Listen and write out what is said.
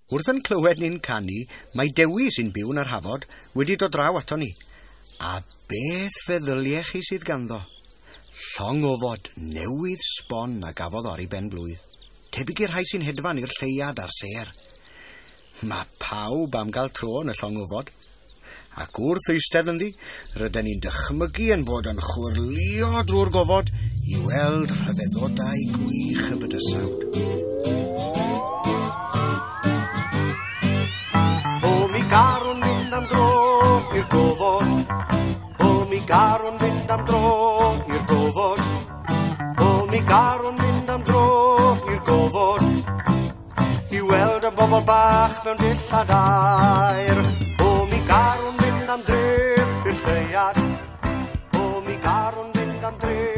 Wrth yn clywed ni'n canu, mae Dewi sy'n byw yn yr Hafod wedi dod draw ato ni. A beth feddyliech chi sydd ganddo? Llong ofod newydd sbon a gafodd ar ei ben blwydd. Tebyg i'r rhai sy'n hedfan i'r lleuad a'r sêr. Mae pawb am gael tro yn y llong ofod. Ac wrth eistedd ynddi, rydyn ni'n dychmygu yn bod yn chwyrlïo drwy'r gofod i weld rhyfeddodau gwych y bydysawd. O, mi garwn fynd am dro i'r gofod. O, mi garwn fynd am dro i'r gofod. O, mi garwn fynd am dro i'r gofod. I weld y bobl bach mewn dillad aur. O, mi garwn fynd am drip i'r lleuad. O, mi garwn fynd am drip.